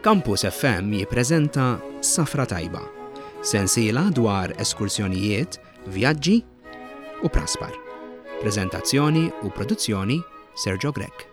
Campus FM jippreżenta Safra Tajba, sensiela dwar eskursjonijiet, vjaġġi u praspar. Preżentazzjoni u produzzjoni Sergio Grech.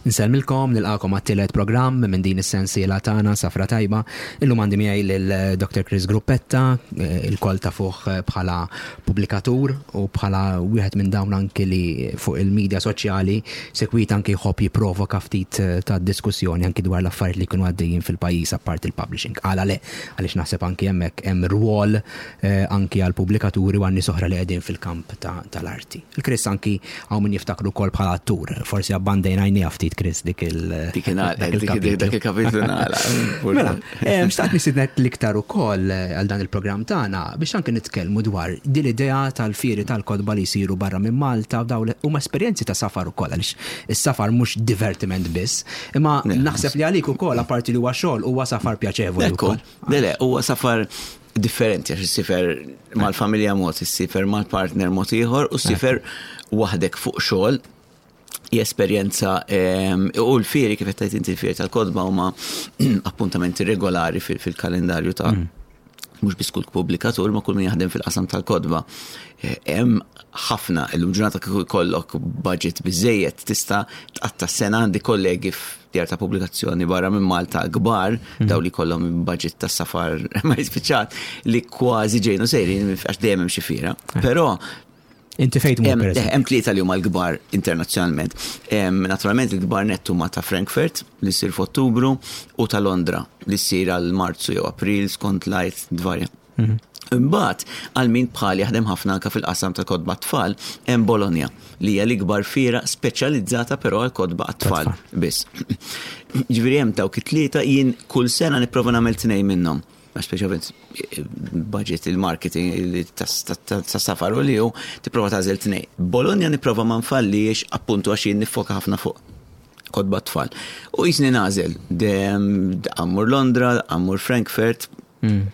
Nsellmilkom, nilqakom għat-tielet programm minn din is-sensiela tagħna Safra Tajba. Illum għandi miegħi lil Dr. Chris Gruppetta, eh, il-kol ta' fuq eh, bħala pubblikatur u bħala wieħed minn dawn anki li fuq il-medja soċjali sekwit anki jħobb jipprovoka ftit eh, ta' diskussjoni anki dwar l-affarijiet li kienu għaddejjin fil-pajjiż apparti il-publishing. Għala le, għaliex naħseb anki hemmhekk hemm rwol anki għal pubblikaturi u għal nies oħra li qegħdin fil-kamp tal-arti. Il-Chris anki hawn min jiftakru wkoll bħala attur. Forsi abbandejna għajnija ftit Chris dik il- Dik dak il-kapitlu nagħlaq. Mela, eh, xtaqt nisidnek l-iktar ukoll eh, għal dan il-programm tagħna biex anki nitkellmu dwar din l-idea tal-fieri tal-kotba li jsiru barra minn Malta u dawn huma esperjenzi ta' safar ukoll għaliex is-safar mhux divertiment biss, imma naħseb li għalik ukoll apparti li huwa xogħol huwa safar pjaċevoli wkoll. Le, le, huwa safar differenti għax issifer mal-familja mod, issifer mal-partner mod ieħor u ssifer waħdek fuq xogħol esperjenza ehm, u l-fieri kif qed inti l-fieri tal-kodba huma appuntamenti regolari fil-kalendarju ta' mm. mhux biss kull pubblikatur ma kull min jaħdem fil-qasam tal-kodba. Eh, hemm ħafna illum ġurnata kieku jkollok budget biżejjed tista' tqatta' sena għandi kollegi djar ta' pubblikazzjoni barra minn Malta kbar, mhm. daw li kollhom budget ta' safar ma jispiċċat, li kważi ġejnu sejrin għax dejjem hemm xi fiera. Eh. Però Inti fejt mur eh, Hemm tlieta li huma l-kbar internazzjonalment. Naturalment il-kbar nett huma ta' Frankfurt li ssir f'Ottubru u ta' Londra li ssir għal Marzu jew April skont lajt dvarja. Mhm. Imbagħad għal min bħal jaħdem ħafna anke fil-qasam ta' kotba tfal, hemm Bologna li hija l-ikbar fiera speċjalizzata però għal kotba għat-tfal biss. Ġifieri hemm dawk it-tlieta jien kull sena nipprova nagħmel tnejn minnhom. Għax speċjalment budget il-marketing ta' safar u li hu tipprova tagħżel tnejn. Bologna nipprova ma nfallix appuntu għax jien nifoka ħafna fuq kotba tfal. U jisni nażel, għammur Londra, għammur Frankfurt, Hmm.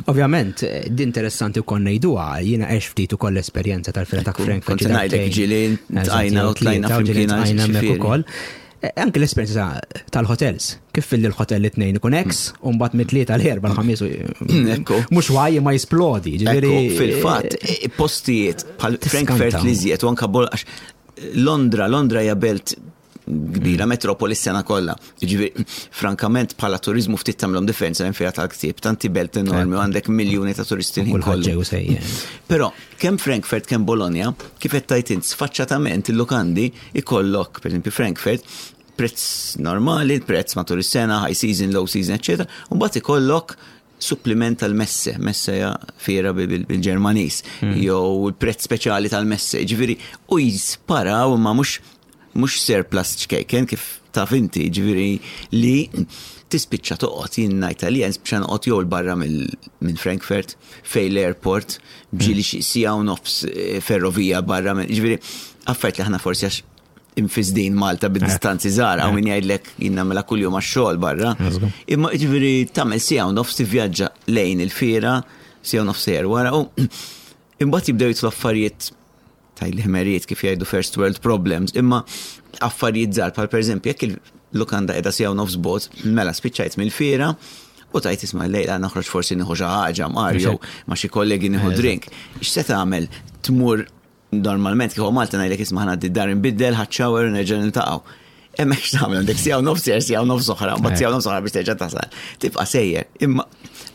Ovvjament, di interessanti wkoll ngħiduha, jiena għex ftit ukoll l-esperjenza tal-fira ta' Frankfurt. Kont ngħidlek ġieli tqajna u tlajna flimkien hemmhekk ukoll. E, anke l-esperjenza tal-hotels, kif fil l-hotel li tnejn ikun ex, u mbagħad mit-tlieta l-erba' l-ħamis. Mhux waj ma jisplodi, ġifieri. Fil-fatt, e, postijiet bħal Frankfurt li żjed u anke Londra, Londra hija belt kbira, mm. metropoli s-sena kollha. Ġifieri, frankament bħala turizmu ftit tagħmlhom differenza hemm fiha tal-ktieb, tanti belt enormi u għandek miljuni ta' turisti l kollu. Però kemm Frankfurt kemm Bologna, kif qed tajt int sfaċċatament il-lukandi ikollok, pereżempju Frankfurt, prezz normali, prezz matul is-sena, high season, low season, eccetera, u mbagħad ikollok suppliment tal-messe, messe hija fiera bil-Ġermaniż, mm. jew il-prezz speċjali tal-messe, ġifieri u jisparaw imma mhux mhux surplus ċkejken kif taf inti, ġifieri li tispiċċa toqgħod jien ngħid għalija nispiċċa noqgħod jew barra minn Frankfurt fej l-airport ġieli xi siegħa u nofs eh, ferrovija barra minn ġifieri affarijiet li aħna forsi għax infisdin Malta bid-distanzi żgħar hawn min jgħidlek jien nagħmilha kuljum għax-xogħol barra. Imma ġifieri tagħmel siegħa u nofs tivvjaġġa lejn il-fiera, siegħa u nofs sejjer wara u imbagħad jibdew jitlu affarijiet tajli ħmerijiet kif jgħidu first world problems, imma affarijiet żgħar bħal pereżempju jekk il-lukanda qiegħda siegħa u nofs bot, mela spiċċajt mill-fiera u tajt isma' lejla noħroġ forsi nieħu xi ħaġa mar jew ma' xi kollegi nieħu drink. X'se tagħmel? Tmur Normalment kieku Malta ngħidlek isma' ħa dar inbiddel, ħadd shower u nerġa' niltaqgħu. Hemmhekk x'tagħmel għandek siegħa u nofs sejjer, siegħa u nofs oħra, mbagħad siegħa u nofs oħra biex terġa' tasal. Tibqa' sejjer. Imma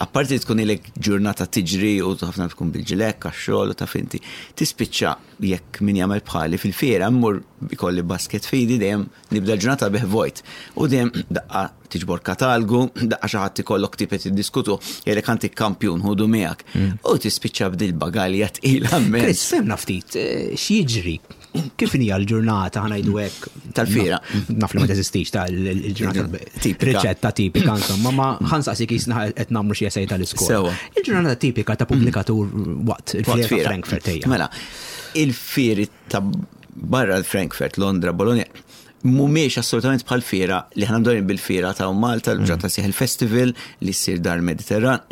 apparti li tkun ilek ġurnata tiġri u ħafna tkun bil-ġilek għax-xogħol u taf inti. Tispiċċa jekk min jagħmel bħali fil-fiera mmur ikolli basket fidi dejjem nibda l-ġurnata bih vojt. U dejjem daqqa tiġbor katalgu, daqqa xi ħadd ikollok ktieb qed jiddiskutu, jgħidlek għandi kampjun ħudu miegħek. Mm. U tispiċċa b'dil bagalja tqila mmens. Chris, femna ftit, eh, x'jiġri? Kif hija l-ġurnata ħanajdu hekk? Tal-fiera. Naf li ma teżistix tal-ġurnata tipika. Riċetta tipika, insomma, ma ħansaqsi kisna qed nagħmlu xi esej tal-iskola. Il-ġurnata tipika ta' pubblikatur waqt il-fiera ta' Frankfurt hija. Mela, il-fieri ta' barra l-Frankfurt, Londra, Bologna, Mhumiex assolutament bħal fiera li ħna mdorin bil-fiera ta' Malta, l-ġata sieħ il-festival li ssir Dar Mediterran,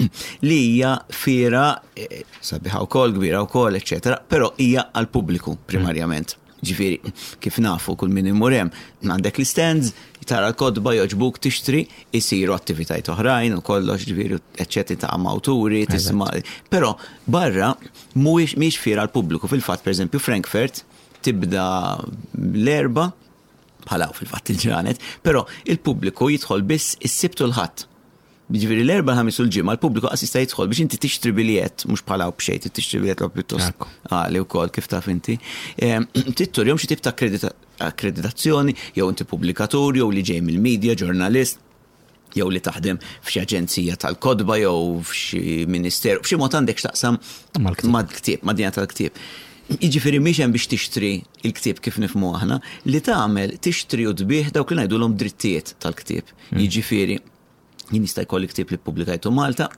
li hija fiera eh, sabiħa wkoll, kbira wkoll, eċetera, però hija għall-pubbliku primarjament. Ġifieri, kif nafu kull min imur hemm, għandek l-stands, tara l-kotba jogħġbuk tixtri, isiru attivitajiet oħrajn u kollox, ġifieri, eċċetera, ta' awturi, tisma'. Però barra mhuwiex mhix fiera għall-pubbliku. Fil-fatt, pereżempju, Frankfurt tibda l-Erbgħa, bħala fil-fatt il-ġranet, però il-pubbliku jidħol biss is-Sibt u l-Ħadd. Jiġifieri l-Erbgħa, l-Ħamis u l-Ġimgħa l-pubbliku qas jista' jidħol biex inti tixtri biljett, mhux bħala b'xejn, trid tixtri biljett l pjuttost għali wkoll kif taf inti. Trid turihom xi tip ta' akkreditazzjoni jew inti pubblikatur jew li ġej mill-media, ġurnalist jew li taħdem f'xi aġenzija tal-kotba jew f'xi ministeru, b'xi mod għandek x'taqsam mal-ktieb, mad-dinja tal-ktieb. Jiġifieri mhix hemm biex tixtri il-ktieb kif nifhmu aħna, li tagħmel tixtri u tbigħ dawk li ngħidulhom drittijiet tal-ktieb. Jiġifieri jien jista' jkolli ktieb li ppubblikajtu Malta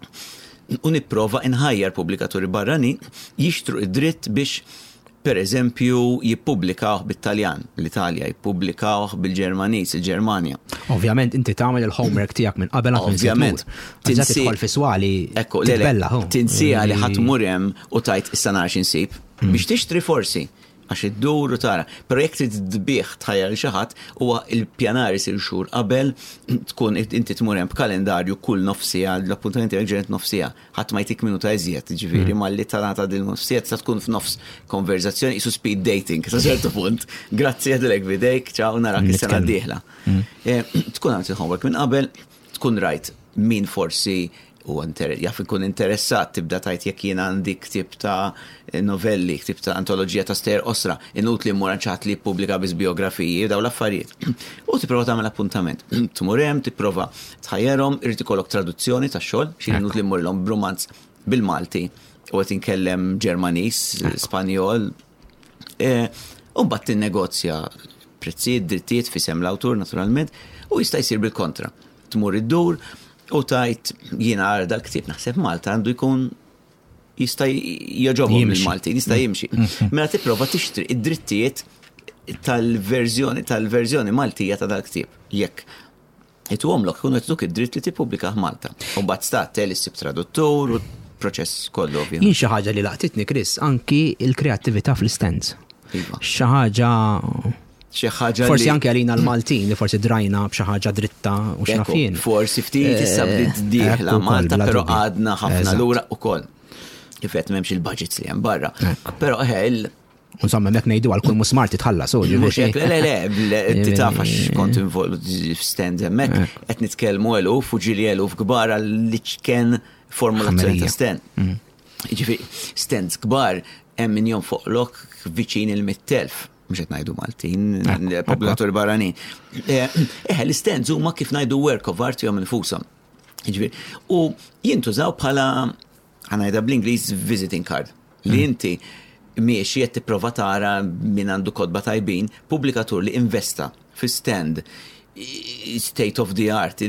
u nipprova inħajjar pubblikaturi barranin jixtru id-dritt biex per eżempju jippubblikawh bit-Taljan, l-Italja, jippubblikawh bil-Ġermaniż, il-Ġermanja. Ovvjament inti tagħmel il-homework tiegħek minn qabel għad Ovvjament. Tinsi tidħol fi swali. Ekku, le, tinsija li ħadd mur hemm u tajt issa nara x'insib. Biex tixtri forsi għax iddur u tara. Però jekk trid tbigħ tħajjar lil xi ħadd, huwa l-pjanar isir xhur qabel, tkun inti tmur hemm b'kalendarju kull nofs siegħa, l-appuntament tiegħek ġenet nofs siegħa, ħadd ma jtik minuta iżjed, ġifieri malli tingħata din nofs siegħa tista' tkun f'nofs konverżazzjoni qisu speed dating sa ċertu punt. Grazzi għadilek b'idejk, ċaw narak is-sena d-dieħla. Tkun għamilt il-homework minn qabel, tkun rajt min forsi u jaf ikun interessat tibda tajt jekk jien għandi ktieb ta' novelli, ktieb ta' antoloġija ta' stejjer qosra, inutli mmur għand xi ħadd li jippubblika biss biografiji, daw l-affarijiet. U tipprova tagħmel appuntament. Tmur hemm, tipprova tħajjarhom, irid ikollok traduzzjoni tax-xogħol, xi inutli mmurlhom b'rumanz bil-Malti u qed inkellem Ġermaniż, Spanjol. E, u mbagħad tinnegozja prezzijiet, drittijiet f'isem l-awtur naturalment, u jista' jsir bil-kontra. Tmur iddur u tajt jiena għara dal-ktieb naħseb Malta għandu jkun jista' jogħġobhom il-Maltin, jista' jimxi. Mela tipprova tixtri id-drittijiet tal-verżjoni tal-verżjoni Maltija ta' dal-ktieb. Jekk ituhomlok ikunu qed id-dritt li tippubblika Malta. U mbagħad stat tel issib traduttur u proċess kollu ovvjament. Jien xi ħaġa li laqtitni Chris, anki il-kreattività fl-stands. Iva. Xi ħaġa Xi ħaġa Forsi anke għalina l-Maltin li forsi drajna b'xi ħaġa dritta u x'naf jien. Forsi ftit issa eh, bdiet dieħla Malta, però għadna ħafna lura ukoll. Kif qed m'hemmx il-budgets li hemm barra. Però eħe il Insomma, mek ngħidu għal kull musmar titħallas, u Mhux hekk, le, le, le, taf għax kont involut f'stand hemmhekk, qed nitkellmu eluf u ġieli eluf kbar għal liċken formulazzjoni ta' stand. Mm. Ġifieri, stands kbar hemm min jonfoqlok viċin il-100,000 mhux qed ngħidu Maltin, popolatur barranin. Eh, eh, l-stands huma kif ngħidu work of art jom infushom. Ġifieri, u jintużaw bħala ħanajda bl-Ingliż visiting card li mm. inti miexi qed tipprova tara min għandu kotba tajbin, pubblikatur li investa fi stand state of the art,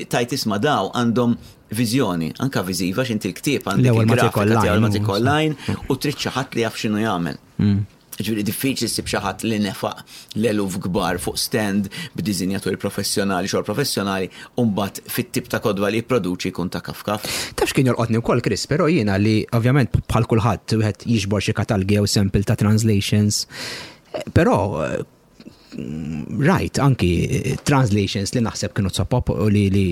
tajt isma daw għandhom viżjoni, anka viżiva x'inti l-ktieb għandek il-grafika ma online u trid xi ħadd li jaf x'inhu jagħmel. Mm. Ġifieri diffiċli ssib xi ħadd li nefaq l-eluf kbar fuq stand b'diżinjaturi professjonali, xogħol professjonali, u mbagħad fit-tip ta' kotba li jipproduċi jkun ta' kafkaf. Taf x'kien jolqotni wkoll, Chris, però jiena li ovvjament bħal kulħadd wieħed jiġbor xi katalgi jew sample ta' translations, però rajt anki translations li naħseb kienu sopop u li li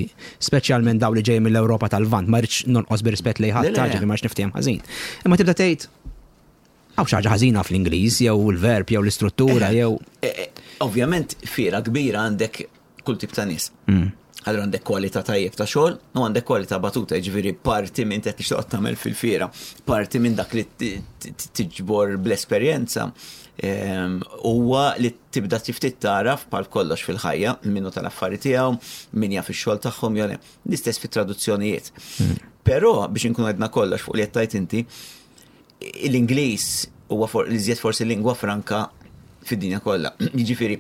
speċjalment daw li ġej mill-Ewropa tal-Lvant, ma rridx nonqos bir-rispett lejn ħadd, ġifieri ma rridx niftiehem ħażin. Imma tibda tgħid hawn xi ħaġa ħażina fl-Ingliż jew il-verb jew l-istruttura jew. Eh, eh, ovvjament fiera kbira għandek kull tip ta' nies. Mm. Allura għandek kwalità tajjeb ta' xogħol u għandek kwalità batuta, jiġifieri parti minn qed tixtieq tagħmel fil-fiera, parti minn dak li tiġbor bl-esperjenza ehm, huwa li tibda ftit taraf bħal kollox fil-ħajja minnu tal-affari tiegħu, min jaf ix-xogħol tagħhom jew l-istess fit-traduzzjonijiet. Mm. Però biex inkunu għedna kollox fuq li qed tajt inti, l-Ingliż huwa l-iżjed forsi lingwa franka fid-dinja kollha. Jiġifieri,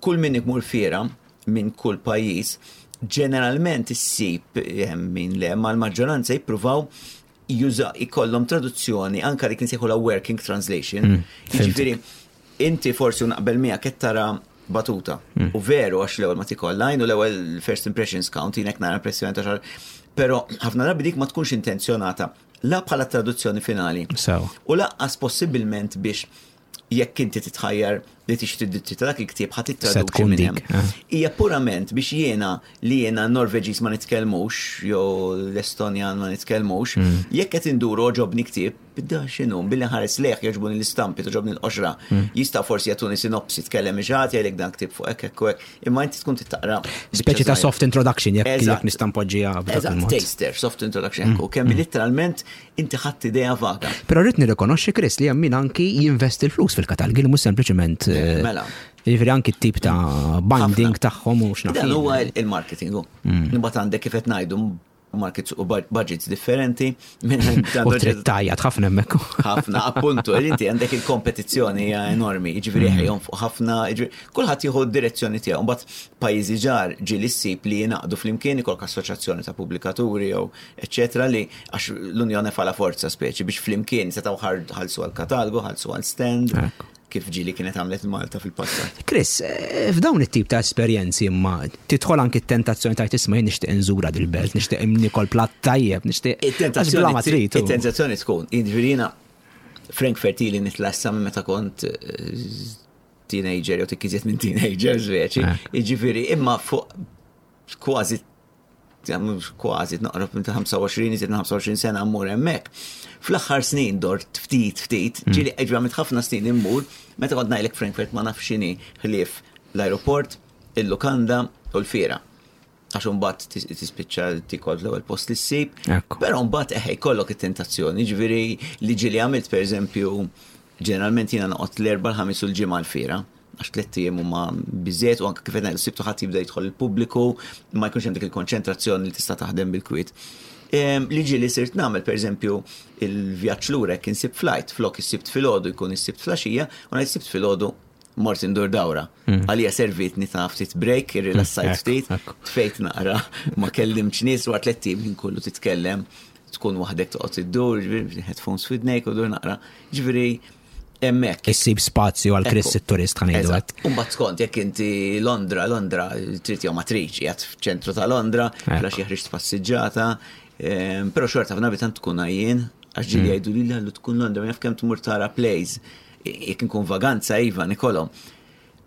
kull min imur fiera minn kull pajjiż, ġeneralment issib eh, min le, ma l-maġġoranza jippruvaw juża ikollhom traduzzjoni anka dik nsejħu la working translation. Mm, Jiġifieri, inti forsi naqbel miegħek qed tara batuta. U veru għax l-ewwel ma tik online u l-ewwel first impressions count jien hekk nara impressjoni ta' xar. Però ħafna drabi dik ma tkunx intenzjonata la bħala traduzzjoni finali. U lanqas possibilment biex jekk inti titħajjar li tixtri d-dritti ta' dak il-ktieb ħa tittraduċi minn hemm. Hija purament biex jiena li jiena Norveġiż ma nitkellmux jew l-Estonjan ma nitkellmux, jekk qed indur għoġobni ktieb, da x'inhu, billi nħares lejh jogħġbuni l-istampi, togħġobni l-qoxra. Jista' forsi jagħtuni sinopsi, tkellem xi ħadd jgħidlek dan ktieb fuq hekk hekk u hekk, imma inti tkun trid taqra. Speċi ta' soft introduction jekk jekk nista' npoġġiha b'dak il-mod. Taster, soft introduction hekk u kemm litteralment inti ħadt idea vaga. Però rrid nirrikonoxxi Chris li hemm min anki jinvesti l-flus fil-katalgi li mhux sempliċement. Mela. Jiġifieri anki t-tip ta' binding tagħhom u x'naf. Dan huwa il-marketing. Imbagħad għandek kif qed ngħidu markets u budgets differenti. U trid tgħajjat ħafna hemmhekk. Ħafna, appuntu, inti għandek il-kompetizzjoni hija enormi, jiġifieri ħejhom fuq ħafna, kulħadd jieħu d-direzzjoni tiegħu. Mbagħad pajjiżi ġar ġieli ssib li jingħaqdu flimkien ikollok assoċjazzjoni ta' pubblikaturi jew eċċetera li għax l-Unjoni fala forza speċi biex flimkien setgħu ħalsu għal katalgu, ħalsu għal stand. Kif ġieli kienet għamlet Malta fil-passat. Chris, eh, f'dawn it-tip ta' esperjenzi imma tidħol anki t-tentazzjoni ta' tisma' jien nixtieq inżura dil-belt, nixtieq nikol platt tajjeb, nixtieq. It-tentazzjoni tkun, jiġifieri jiena Frankfurt ili nitla' issa minn meta kont eh, teenager jew tikkiżiet minn teenager speċi. Jiġifieri imma fuq kważi kważi noqrob minn ta' 25, iżjed minn 25 sena mmur hemmhekk. Fl-aħħar snin dort ftit ftit, hmm. ġieli ġieli għamilt ħafna snin immur, meta kont ngħidlek Frankfurt ma nafx x'inhi ħlief l-aeroport, il-lukanda u l-fiera. Għax imbagħad tispiċċa tikol l-ewwel post li ssib. Però mbagħad eħe jkollok it-tentazzjoni, ġifieri li ġieli għamilt pereżempju ġeneralment jiena noqgħod l-erba' l-ħamis u l-ġimgħa l-fiera għax tlett ijiem huma biżżejjed u anke kif qed ngħidu s-Sibt u Ħadd jibda jidħol il-pubbliku, ma jkunx hemm dik il-konċentrazzjoni li tista' taħdem bil-kwiet. Li ġieli sirt nagħmel pereżempju il-vjaġġ lura jekk insib flight, flok is-Sibt filgħodu jkun is-Sibt filgħaxija u ngħid is-Sibt filgħodu mort indur dawra. Hmm. Għalija servitni ta' ftit break, irrilassajt hmm, ftit, tfejt naqra, ma kellimx nies wara tlett ijiem ħin kollu titkellem, tkun waħdek toqgħod iddur, headphones f'idnejk u dur naqra. Ġifieri hemmhekk. Issib spazju għal Chris it-turist ħa ngħidu hekk. U mbagħad skont jekk inti Londra, Londra trid jew ma tridx, qiegħed f'ċentru ta' Londra, flax jeħriġ passiġġata, ehm, però xorta f'nabi tant tkun għajjien, għax ġieli mm. jgħidu li l tkun Londra, ma jaf kemm tmur tara plays. Jekk inkun vaganza iva nikolhom.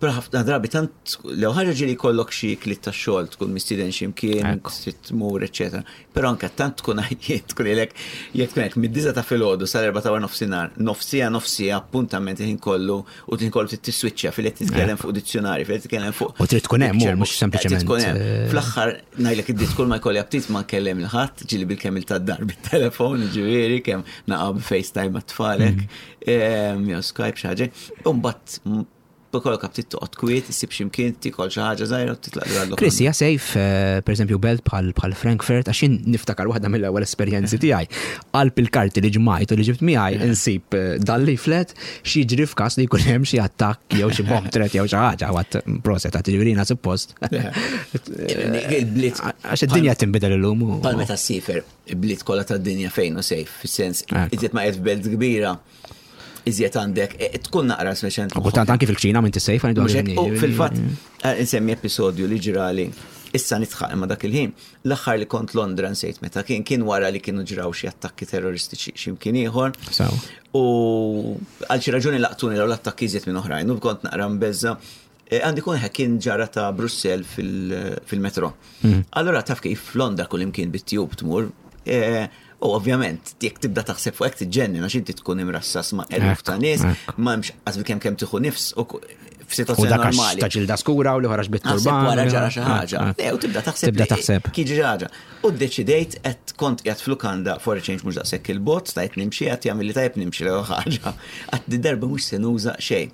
Però ħafna drabi tant lew ħaġa ġieli jkollok xi klit ta' xogħol tkun mistieden xi mkien, tmur, eċetera. Però anke tant tkun għajjiet tkun ilek jekk tkun hekk mid-disa ta' filgħodu sal-erba' ta' wara nofsinhar, nofsija nofsija appuntament il-ħin kollu u ħin kollu trid tiswiċċja fil qed titkellem fuq dizzjonari, fil qed titkellem fuq. U trid tkun hemm mhux sempliċement. Tkun hemm. Eh, Fl-aħħar ngħidlek id kull ma jkolli aptit ma nkellem il ħadd, ġieli bil-kemm il tad-dar bit-telefon, ġifieri kemm naqa' FaceTime mat-tfalek, mm. eh, jew Skype xi ħaġa. U mbagħad B'kollok aptit toqgħod kwiet, issib xi mkien, tikol xi ħaġa żgħira u titlaq lura l Chris, hija safe, eh, pereżempju belt bħal bħal Frankfurt, għax jien niftakar waħda mill-ewwel esperjenzi tiegħi. Qalb il-karti li ġmajt u li ġibt miegħi eh. insib eh, dal-leaflet x'jiġri f'każ li jkun hemm xi attakk jew xi bomb threat jew xi ħaġa għat proset għat ġifieri suppost. Il-bliet. Għax id-dinja tinbidel illum. Bħal meta ssifer, il-bliet kollha tad-dinja fejn u safe, fis-sens, iżjed ma qed f'belt kbira iżjed għandek, e, tkun naqra speċjalment. U tant anki fil-kċina minn tissejf għandu. U fil-fatt, eh, insemmi episodju li ġrali, issa nitħaq imma dak il-ħin, l-aħħar li kont Londra nsejt meta kien, kien wara li kienu ġraw xi attakki terroristiċi x'imkien ieħor. U għal xi raġuni laqtuni l attakki iżjed minn oħrajn, u kont naqra mbeżza. E, għandi kun kien ġara ta' Brussel fil-metro. Hmm. Allora taf kif Londra kull imkien bit-tube tmur, e, u ovvjament, jekk tibda taħseb fuq hekk tiġġennen għax inti tkun imrassas ma' eluf ta' nies, ma hemmx qas kemm kemm tieħu nifs u f'sitwazzjoni normali. Ta' ġilda skura u li ħaraġ bit-turban. Wara ġara xi ħaġa. U tibda taħseb. Tibda taħseb. Kien ġi ħaġa. U ddeċidejt qed kont qiegħed f'lukanda for a change mhux daqshekk il-bot, stajt nimxi qed jagħmel li tajjeb nimxi l ħaġa. Qatt darba mhux se nuża xejn.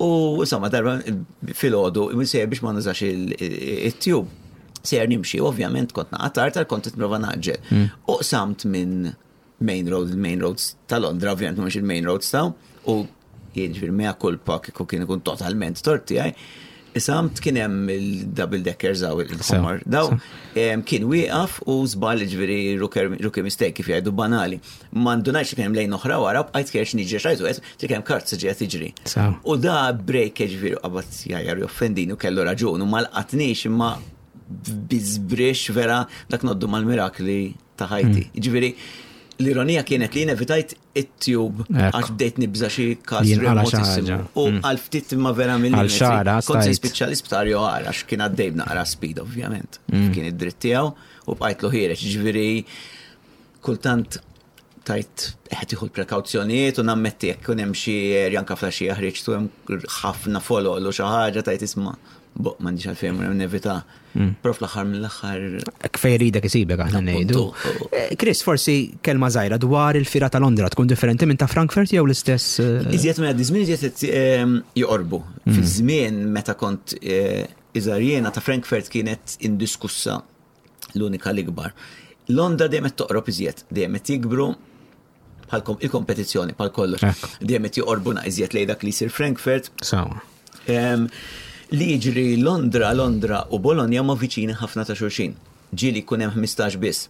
U insomma, darba filgħodu, sejjer biex ma nużax it-tube. Sejjer nimxi, ovvjament kont naqatar, tal kont nipprova naġġel. Hmm. U qsamt minn main road, il-main roads ta' Londra, ovvjament mhux il-main roads ta' u jiġifieri mea culpa kieku kien ikun totalment tort tiegħi. Isamt kien hemm il-double deckers għaw il-ħomor. Daw kien wieqaf u żball ġifieri rookie mistake kif jgħidu banali. Ma ndunajx li kien hemm lejn oħra wara bqajt kerx niġri xajtu qed li kemm karozza ġejja tiġri. U da break ġifieri qabad jgħajjar joffendini u kellu raġun u ma lqatnix imma biżbrix vera dak noddu mal-mirakli ta' ħajti. Ġifieri l-ironija kienet li evitajt it-tube għax bdejt nibża xi każ remotissimu. U mm. għal ftit imma vera mill Għal xara, kont se spiċċa l-isptar jew għax kien għaddej b'naqra speed ovvjament. Mm. Kien id-dritt tiegħu u bqajtlu ħiereġ. Ġifieri kultant tajt qed tieħu l-prekawzjonijiet u nammetti jekk ikun hemm xi erja anke flaxija ħriġtu hemm ħafna folol u xi ħaġa tajt isma' boq m'għandix għalfejn mur nevita. Mm. Però fl-aħħar mill-aħħar. Kfej ridek isibek aħna ngħidu. Eh, Chris, forsi kelma żgħira dwar il-fira ta' Londra tkun differenti minn ta' Frankfurt jew l-istess? Eh, iżjed minn għaddi żmien iżjed ehm, joqorbu. Mm. Fi żmien meta kont eh, iżgħar jiena ta' Frankfurt kienet indiskussa l-unika l-ikbar. Londra dejjem qed toqrob iżjed, dejjem qed jikbru bħal il-kompetizzjoni bħal kollox. Dejjem qed joqorbuna iżjed lejn dak li jsir Frankfurt. Sawa. Li jiġri Londra, Londra u Bologna ma viċini ħafna ta' xulxin. Ġieli jkun hemm 15 biss.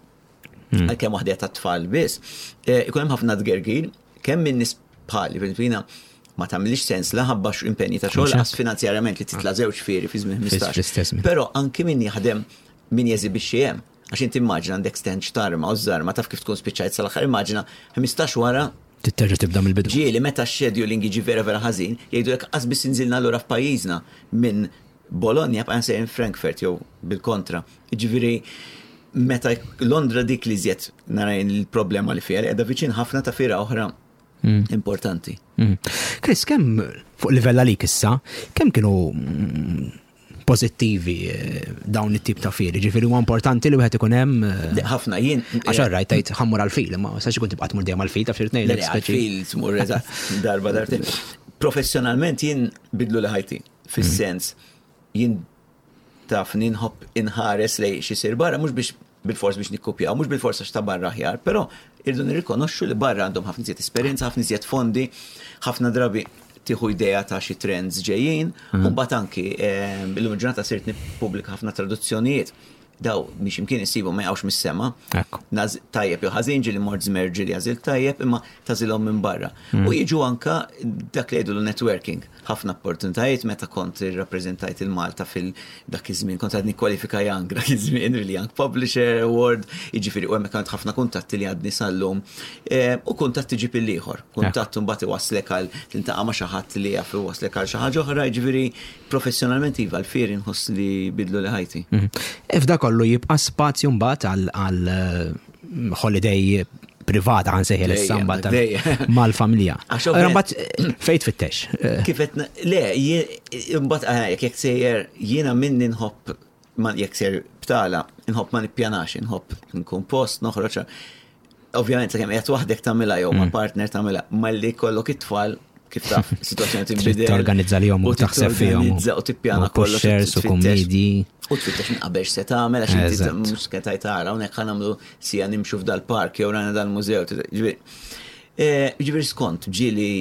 Hmm. Għalkemm waħda ta' tfal biss, eh, ikun hemm ħafna tgergir, kemm minn nies bħali, fil ma tagħmilx sens la ħabba impenji ta' xogħol għas finanzjarjament li titla' żewġ fieri fi żmien 15. Però anki min jaħdem min jeżibixxi hemm. Għax inti immaġina għandek stand x'tarma u żarma taf kif tkun spiċċajt sal-aħħar immaġina 15 wara Titterġa' tibda mill-bidu. Ġieli meta x-scheduling jiġi vera vera ħażin, jgħidulek qas biss inżilna lura f'pajjiżna minn Bologna bqajna sejrin Frankfurt jew bil-kontra. Jiġifieri meta Londra dik li żjed nara il-problema li fiha li qiegħda viċin ħafna ta' fiera oħra mm. importanti. Mm. Chris, kemm fuq livell għalik issa, kemm kienu mm, pożittivi eh, dawn it-tip ta' fieri. Ġifieri huwa importanti li wieħed ikun hemm. Eh, ħafna jien. Għax rajt tgħid ħammur għall-fil, imma sax ikun tibqa' tmur dejjem għall-fil ta' fir tnejn. Għall-fil tmur darba darbtejn. Professjonalment jien bidlu li ħajti, fis-sens jien taf ninħobb inħares lej xi sir barra mhux biex bil-fors biex nikkupjaw, mhux bil-fors għax ta' barra aħjar, però irdu nirrikonoxxu li barra għandhom ħafna iżjed esperjenza, ħafna iżjed fondi, ħafna drabi tieħu idea ta' xi trends ġejjin, u mbagħad anki eh, illum il-ġurnata sirt nippubblika ħafna traduzzjonijiet. Daw biex imkien isibu ma jaqgħux mis-sema. Tajjeb jew ħażin ġieli mort żmer ġieli għażil tajjeb imma tażilhom minn barra. Mm. U jiġu anka dak li jgħidu networking. Ħafna opportunitajiet meta kont irrappreżentajt il-Malta fil dak iż-żmien kont għadni kwalifika Young dak iż-żmien really Young Publisher Award, jiġifieri u hemmhekk għand ħafna kuntatti li għadni sal-lum. Eh, u kuntatt iġib il-ieħor. Kuntatt imbagħad iwasslek għal tintaqa' ma' xi ħadd li jaf iwasslek għal xi ħaġa oħra, jiġifieri professjonalment iva l-fieri nħoss li bidlu li ħajti. Mhm. F'da kollu jibqa' spazju mbagħad għal eh, holiday privata għan seħi l-samba mal-familja. Mbagħad eh, fejn tfittex? Eh. Kif qed le, mbagħad eh, jekk sejjer jiena minni nħobb jekk sejjer btala, nħobb ma nippjanax, nħobb nkun post, noħroġ. Ovvjament sakemm qiegħed waħdek tagħmilha jew ma' mm. partner tagħmilha, malli kollok it-tfal kif taf, situazzjoni tinbidel. Torganizza li jom u taħseb fihom. U tippjana kollox. Shares u kommedi. U tfittex minn qabel se tagħmel għax inti mhux ketajt tara hawnhekk ħa nagħmlu sija nimxu f'dal-park jew rajna dal-mużew. Eh, ġifieri skont ġieli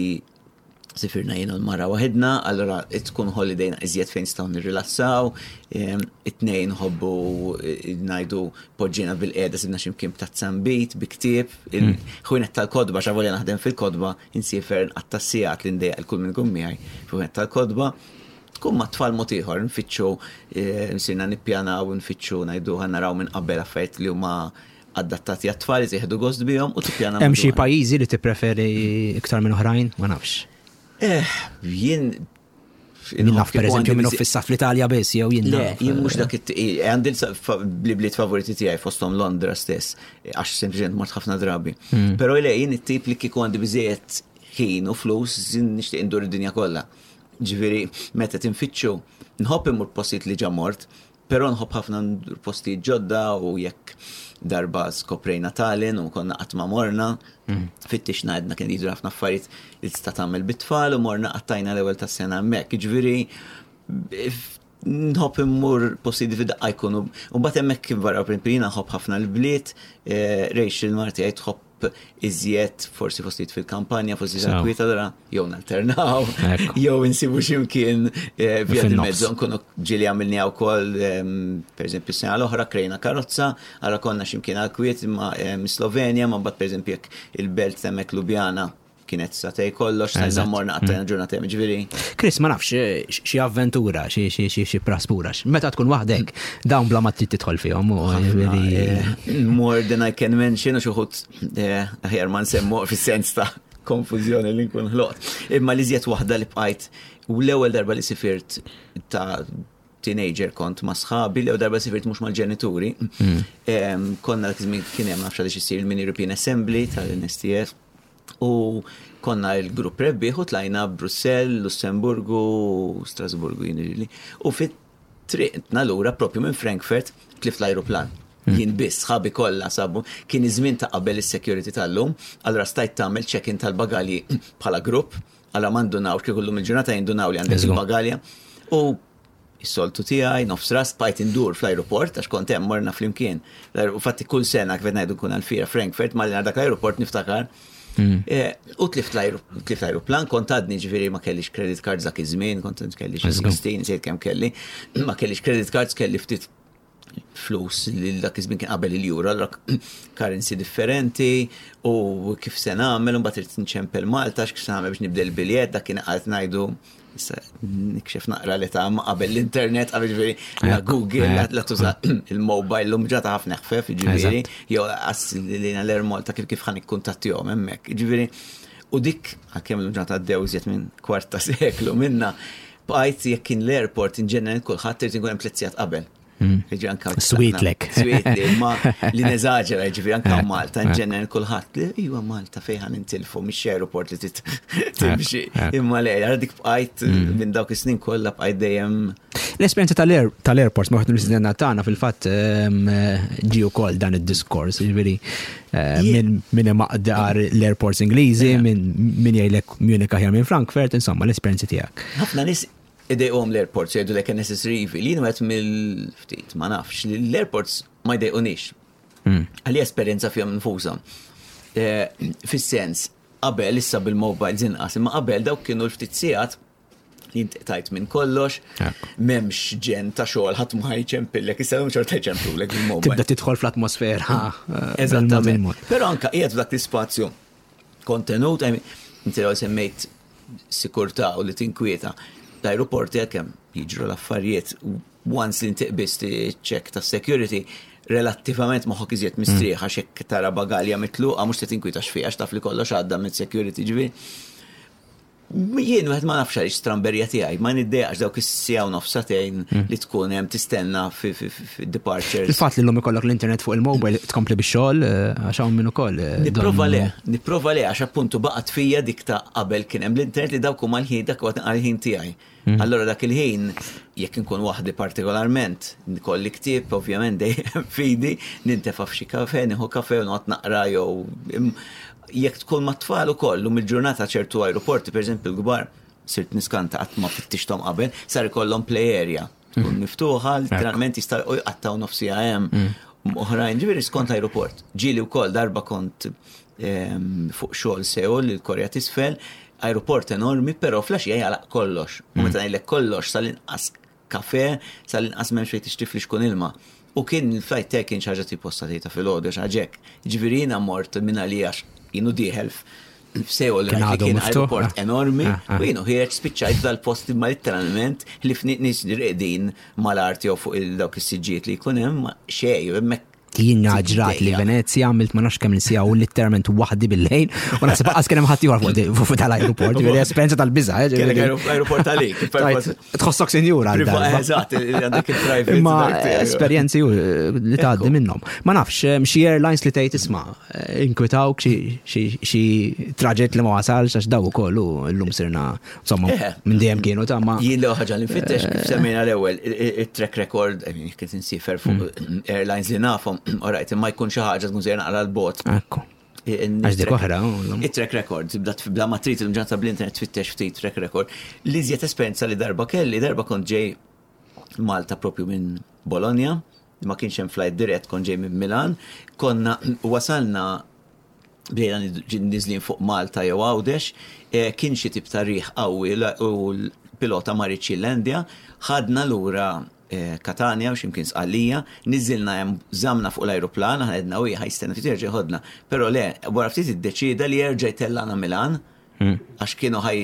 sifirna jien u l-mara waħedna, allora tkun holiday iżjed fejn nistgħu nirrilassaw, ehm, it-tnejn nħobbu eh, ngħidu poġġina bil-qiegħda sibna x'imkien b'tazza nbid, bi ktieb, hmm. il-ħwienet tal-kodba xavolja naħdem fil-kodba, insiefer nqatta' sigħat li ndejjaq il kull minn ikun miegħi fil-ħwienet tal-kodba. Tkun ma' tfal mod ieħor, nfittxu, eh, nsirna nippjanaw, nfittxu ngħidu ħa naraw minn qabel affarijiet li huma adattati għat-tfal, li jieħdu gost bihom u tippjana. Hemm xi pajjiżi li tippreferi iktar minn oħrajn? Ma nafx. Eh, jien Min naf per eżempju minn fissa fl-Italja biss jew jien. Le, jien mhux dak għandi li bliet favoriti tiegħi fosthom Londra stess, għax sempliċement mort ħafna drabi. Hmm. Però le jien it-tip li kieku għandi biżejjed ħin u flus nixtieq indur id-dinja kollha. Ġifieri meta tinfittxu, nħobb immur postijiet li ġa mort, però nħobb ħafna ndur postijiet ġodda u jekk darba skoprejna Tallinn u konna qatt ma morna, mm. fittixna għedna kien jidru ħafna affarijiet li tista' tagħmel bit-tfal u morna qattajna l-ewwel tas-sena hemmhekk. Ġifieri nħobb immur postijiet fi daqqa jkunu. U mbagħad hemmhekk kif barra jiena nħobb ħafna l-bliet, eh, Rachel Marti tħobb nħobb iżjed forsi postijiet fil-kampanja, forsi kwiet allura jew nalternaw, jew insibu x'imkien eh, via di mezzo nkunu ġieli għamilniha wkoll ehm, pereżempju sena l-oħra krejna karozza, allura konna x'imkien għal kwiet ma' ehm, Slovenja, ma mbagħad pereżempju jekk il-belt hemmhekk Ljubljana kienet satej kollox, sa morna qattajna mm. ġurnata hemm ġifieri. Chris, ma nafx eh, xi avventura, xi praspura, meta tkun waħdek, dawn bla ma trid tidħol fihom. Eh, more than I can mention, u xi wħud eh, aħjar ma nsemmu fis-sens ta' konfużjoni li nkun ħloqt. Imma li żjed waħda li bqajt u l-ewwel darba li sifirt ta' teenager kont ma' sħabi, l-ewwel darba sifirt mhux mal-ġenituri. Mm. Konna dak iż-żmien kien hemm nafx għaliex isir il-Mini European Assembly tal-NSTF. U konna il-grupp rebbieħ u tlajna Brussell, Lussemburgu, Strasburgu jien U fit triqtna lura propju minn Frankfurt tlift l-ajruplan. Hmm. Jien biss, sħabi kollha sabu, kien iż-żmien ta' qabel is-security tal-lum, allura stajt tagħmel check-in tal-bagalji bħala grupp, allura ma ndunawx kieku llum il-ġurnata jindunaw li għandek il-bagalja. U is-soltu tiegħi, nofs ras, bqajt indur fl-ajruport għax kont hemm morna flimkien. U fatti kull sena kif qed ngħidu nkun għall-fiera Frankfurt, malli dak l-ajruport niftakar. Hmm. Eh, u tlift l-ajruplan, kont għadni ġifieri ma kellix credit cards dak iż-żmien, kont kelli 16, sejt kemm kelli, ma kellix credit cards, kelli ftit flus li dak iż-żmien kien qabel il-euro, allura currency differenti u kif se nagħmel, u mbagħad irid nċempel Malta x'kif se nagħmel biex nibdel il-biljett, dak kien qed ngħidu issa nikxef naqra li ta' qabel l-internet, qabel ġifieri la Google, la tuża il-mobile, l-lum ġata ħafna ħfef, ġifieri, jew qas li l-Air Malta kif kif ħan ikkuntattihom hemmhekk. Ġifieri, u dik għalkemm l-lum ġata għaddew iżjed minn kwart ta' seklu minna, bqajt jekk kien l-airport in ġenerali kulħadd irid inkun hemm tliet sigħat qabel. Hmm. Sweetlek. Sweetli, ma li neżaġera, ġifieri anka Malta, in ġenerali kulħadd li iwa Malta fejn ħan intilfu mhix airport li timxi. Imma le, għara dik bqajt hmm. minn dawk is-snin kollha bqajt dejjem. L-esperjenza tal-airports ma waħed mill-istudenta tagħna fil-fatt ehm, ġie wkoll dan id-diskors, ġifieri eh, minn imaqdar l-airports Ingliżi, minn jgħidlek Munich aħjar minn Frankfurt, insomma l-esperjenzi tiegħek. Ħafna nies idejqhom l-airports jgħidu lek necessary evil. Jien wieħed mill-ftit ma nafx li l-airports ma jdejqunix. Hmm. Għalli esperjenza fihom nfushom. Eh, fis-sens, qabel issa bil-mobiles inqas, imma qabel dawk kienu l-ftit sigħat li inti tajt minn kollox, m'hemmx ġen ta' xogħol ħadd ma jċempillek, issa hemm xorta jċemplulek bil-mobile. Tibda tidħol fl-atmosfera. Eh, Eżattament. Però anka qiegħed f'dak l-ispazju kontenut, inti semmejt sikurtà u li tinkwieta. L-ajruporti għalkemm jiġru l-affarijiet once li inti qbist check ta' security, relattivament moħħok iżjed mistrieħ mm. għax hekk tara bagalja mitluqa mhux se tinkwieta x'fiha għax taf li kollox għadda minn security ġifieri. Jien wieħed ma nafx għaliex stramberja tiegħi, ma niddejaqx dawk is-siegħa u nofs sagħtejn mm. li tkun hemm tistenna fi departures. Il-fatt li llum ikollok l-internet fuq il-mobile tkompli bix-xogħol eh, għax hawn min ukoll. Eh, nipprova le, nipprova le għax appuntu baqgħet fija dik ta' qabel kien hemm l-internet li dawk huma l-ħin dak huwa l-ħin tiegħi. Mm. Allora dak il-ħin, jekk inkun waħdi partikolarment, nkolli ktieb, ovvjament dejjem fidi, nintefa' f'xi kafe, nieħu kafe u noqgħod naqra jew jekk tkun mat-tfal ukoll lum il-ġurnata ċertu aeroporti, pereżempju l-kbar, sirt niskanta qatt ma fittixthom qabel, sar ikollhom play area. Tkun mm. miftuħa, literalment jista' jqattaw nofsija hemm. Mm. Oħrajn, ġifieri skont aeroport. Ġieli wkoll darba kont ehm, fuq xogħol Seul, il-Korea t'isfel, aeroport enormi, però filgħaxija jagħlaq kollox. U mm. meta ngħidlek kollox sal-inqas kafe, sal-inqas m'hemmx fejn tixtri flixkun ilma. U kien il-flight tiegħi kien xi ħaġa tipo sa filgħodu xi ħaġa hekk. Ġifieri jiena mort minn għalija jienu dieħel f'Seul Kien li għadu kien miftuħ, aeroport ah. enormi Ah, ah. u jienu ħiereġ spiċċajt dal-post imma literalment li fniet nies reqdin mal-art jew fuq il-dawk is-siġġijiet li jkun hemm xejn hemmhekk Jien ġrat li Venezia għamilt ma nafx kemm siegħa u literalment waħdi bil-lejl u naħseb qas kien hemm ħadd ieħor fuq fuq tal-aeroport, ġifieri esperjenza tal-biża'. eh, Kellek ġifieri. aeroport għalik. Tajt, Tħossok sinjura għal darba. Eżatt, għandek il-private. Imma dak tiegħek. esperjenzi u li tgħaddi minnhom. Ma nafx, xi airlines li tgħid isma' inkwitawk xi traġett li ma wasalx għax daw ukoll u llum sirna insomma minn dejjem kienu ta' ma. Jien l ħaġa li nfittex kif semmejna l-ewwel it-track record, I mean, kif insifer fuq airlines li nafhom, alright, imma jkun xi ħaġa tkun sejra naqra l-bot. Ekku. Għax dik oħra, u llum. Il-track record, tibda bla ma trid il-ġanta bl-internet tfittex ftit track record. Li iżjed esperjenza li darba kelli, darba kont ġej Malta propju minn Bologna, ma kienx hemm flight dirett, kont ġej minn Milan, konna wasalna Bdejna niżlin fuq Malta jew Għawdex, eh, kien xi tip ta' riħ qawwi u l-pilota ma riedx jillandja, ħadna lura eh, Katania u x'imkien Sqallija, niżilna hemm żamna fuq l-ajruplan, aħna għedna u ħa jistenna ftit jerġa' jħodna. Però le, wara ftit iddeċieda li jerġa' jtellana Milan, għax kienu ħaj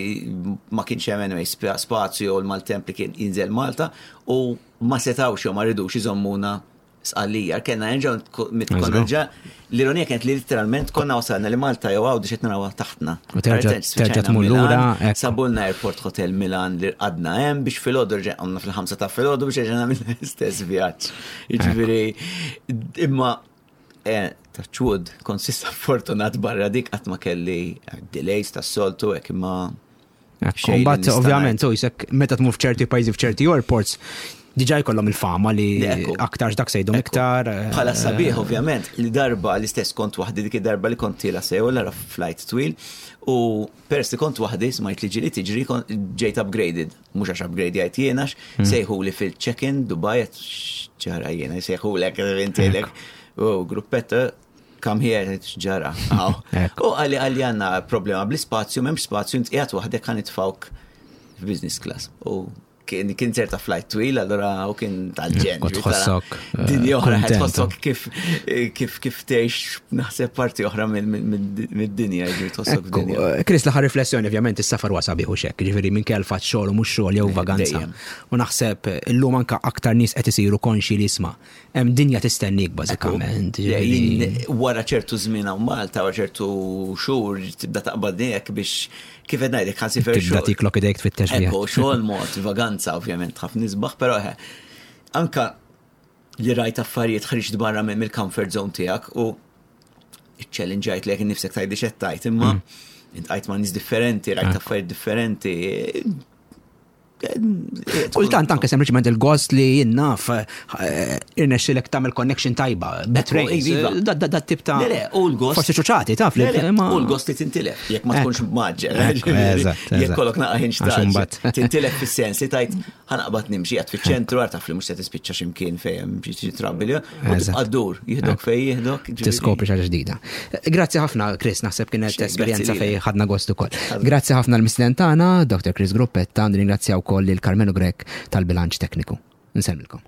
ma kienx hemm anyway spazju u l-maltemp li kien jinżel Malta u ma setawx jew ma ridux iżommuna Sqallija, kellna nerġgħu konna ġa l-ironija kienet li literalment konna wasalna li Malta jew Għawdex qed narawha taħtna. U terġa' tmur lura. Sabulna Airport Hotel Milan li rqadna hemm biex filgħodu rġa' qomna fil-ħamsa ta' filgħodu biex erġa' nagħmel l-istess vjaġġ. Jiġifieri imma eh, touch wood, kont s'issa fortunat barra dik qatt ma kelli delays tas-soltu hekk imma Mbagħad ovvjament u jisek meta tmur f'ċerti pajjiżi f'ċerti airports diġà jkollhom il-fama li aktar dak se jdum iktar. Eh, Bħala sabiħ ovvjament li darba l-istess kont waħdi dik id-darba li kont tiela sew l flight twil u peress li kont waħdi smajt li ġili tiġri ġejt upgraded, mhux għax upgrade jgħid jiena hmm. sejħu li fil-check-in Dubai ġara jiena sejħulek intilek u gruppetta Come here, x'ġara. U għalli għalli għanna problema bl-ispazju, memx spazju, int qiegħed waħdek ħa nitfawk f'business class. U kien kien ċerta flight twil, allura u kien tal-ġen. Tħossok. Eh, Dinja oħra, tħossok kif kif kif tgħix naħseb parti oħra mid-dinja, ġifieri tħossok dinja. Eh, Chris, l-aħħar riflessjoni ovvjament is-safar wasa biħu xekk, ġifieri minn kell fatt xogħol u mhux xogħol jew eh, vaganza. U naħseb illum anka aktar nies qed isiru konxi li isma' Hemm dinja tistennik bażikament. Wara ċertu żmien hawn Malta, wara ċertu xhur tibda taqbad hekk biex kif qed ngħidlek ħa sifer xogħol. Tibda tiklok idejk tfittex. Ekku, xogħol mod, vaganza ovvjament ħafna isbaħ, però anka li rajt affarijiet ħriġt barra mill-comfort zone tiegħek u challenge lek nifsek tgħidli x'qed tgħid, imma mm. intqajt ma' nies differenti, rajt ah. affarijiet differenti, Kultant anke sempliċement il-gost li jien naf eh, irnexxilek tagħmel connection tajba, betrays, iva. da tip ta' Le, u l-gost. Forsi ċuċati taf li. U l-gost li tintilef, jekk ma tkunx maġġel. Jekk kollok naqa' ħin xtaqt. Tintilef fis-sens li tajt ħanaqbad nimxi għad fiċ-ċentru għar taf li mhux se tispiċċa x'imkien fejn xi trabbi Għaddur, jihdok fej jihdok. Tiskopri xaġa ġdida. Grazzi ħafna, Chris, naħseb kienet esperjenza fej ħadna gost ukoll. Grazzi ħafna l-mistieden tagħna, Dr. Chris Gruppetta, nirringrazzja wkoll lil Carmelo Grech tal-bilanċ tekniku. Nsellmilkom.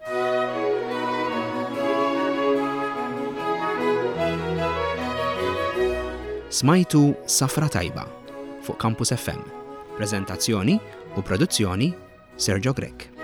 Smajtu Safra Tajba fuq Campus FM. Prezentazzjoni u produzzjoni Sergio Grech.